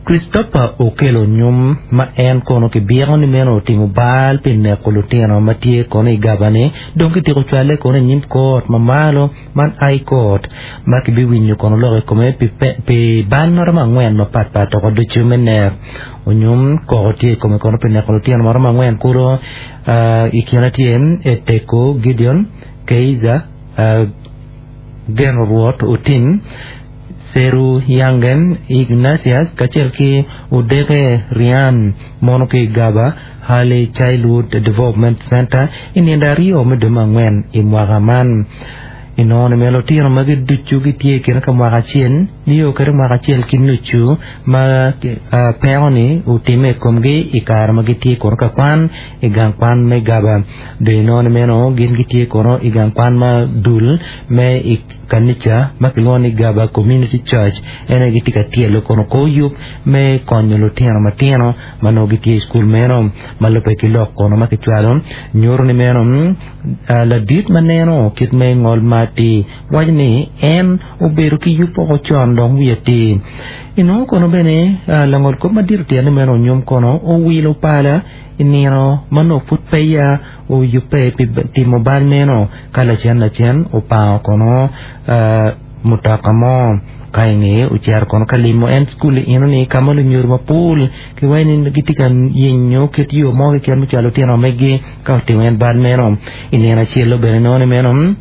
Christopher Okello Onyum ma en kono kibiko ni meno otimo bal pi neko lutino ma tye kono i Gaba-ni dong kityeko cwale kono i nyim kot ma malo man High Court ma kibiwinyo kono lok i kome pi bal maromo angwen mapatpat oko ducu me nek. Onyum koko tye i kome kono pi neko lutino maromo angwen kulu i kine tye Eteko Gideon, Keiza, Geno Rwot Otim, Seru Yangen, Ignatius kacel ki Odeke Rian mono ki i Gaba Early Childhood Development Center i nindo aryo me dwe me angwen i mwaka man. Inongo ni myero lutino magi ducu gitye i kine ka mwaka acel nio kede mwaka acel ki nucu ma peko-ni otimme i komgi i kare ma gitye kono ka kwan i gang kwan me Gaba. Dong inongo ni meno gin gitye kono i gang kwan ma dul me i kanica ma kilwongo ni Gaba Community Church en aye gitye ka tyelo kono kor yub me konyo lutino matino ma nongo gitye i cukul meno. Ma lubbe ki lok kono ma kicwalo nyuto ni meno ladit ma neno kit me ngol ma atir waco ni en obedo ki yub woko con dong wiye atir. Inongo kono bene langol kop madit otyeno ni meno onyom kono owilo pala i nino ma nongo pud peya oyubbe pi timo bal meno ka lacen lacen opango kono mutoka mo ka i ngeye ocito kono ka limo en cukul enoni ka ma lunyodo mapol kiwaco ni gitye ka yenyo kit yo mo keken me cwalo lutino megi ka otimo en bal meno. I nino acel-lu bene inongo ni meno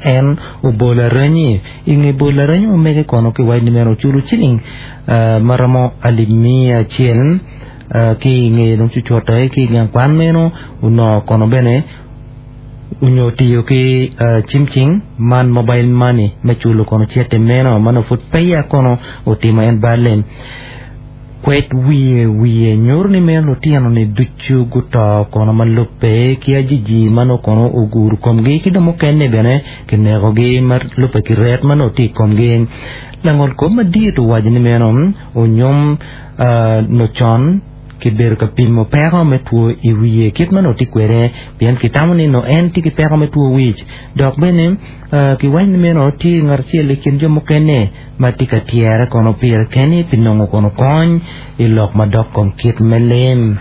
en obolo aranyi. I nge bolo aranyi ma mege kono kiwaco ni meno oculo ciling ma romo alip miya acel ki i ngeye dong cucutte ki i gang kwan meno onongo kono bene onyo otiyo ki cim cing man mobile money me culo kono cente meno ma nongo pud peya kono otimo en balle. Kwed wiye wiye nyuto ni meno lutino-ni ducu guto kono ma lubbe ki ajiji ma nongo kono ogudo komgi ki dong mukene bene kinekogi ma lubbe ki ret ma nongo tye i komgi. Langol kop madit owaco ni meno onyom nongo con kibedo ka pimo peko me two i wiye kit ma nongo tye kwede pien kitamo ni nongo en tye ki peko me two wic dok bene kiwaco ni meno tye ngat acel i kin jo mukene ma tye ka tyere kono pire keni pi nongo kono kony i lok madok kom kit me lim.